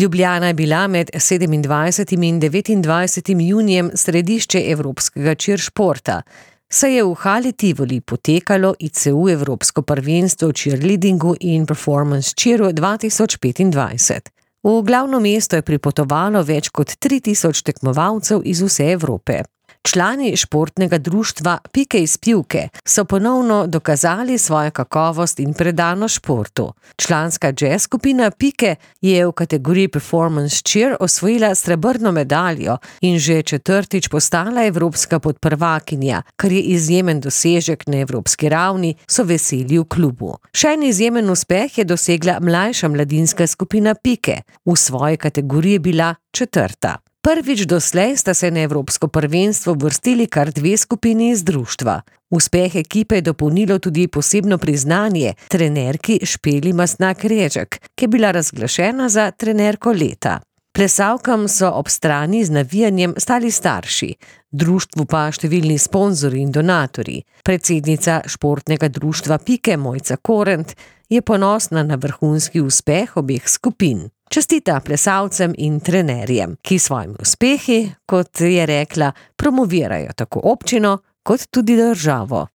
Ljubljana je bila med 27. in 29. junijem središče evropskega cheeršporta, saj je v hali Tivoli potekalo ICU Evropsko prvenstvo v cheerleadingu in performance cheeru 2025. V glavno mesto je pripotovalo več kot 3000 tekmovalcev iz vse Evrope. Člani športnega društva Pike iz Pivke so ponovno dokazali svojo kakovost in predanost športu. Članska jazz skupina Pike je v kategoriji Performance Cheer osvojila srebrno medaljo in že 4. postala evropska podprvakinja, kar je izjemen dosežek na evropski ravni, so veseli v klubu. Še en izjemen uspeh je dosegla mlajša mladinska skupina Pike. V svoji kategoriji je bila 4. Prvič doslej sta se na evropsko prvenstvo vrstili kar 2 skupini iz društva. Uspeh ekipe je dopolnilo tudi posebno priznanje trenerki Špeli Mastnak-Režek, ki je bila razglašena za trenerko leta. Plesalkam so ob strani z navijanjem stali starši, društvu pa številni sponzorji in donatorji. Predsednica športnega društva Pike Mojca Korent je ponosna na vrhunski uspeh obeh skupin. Čestita plesalcem in trenerjem, ki svojimi uspehi, kot je rekla, promovirajo tako občino kot tudi državo.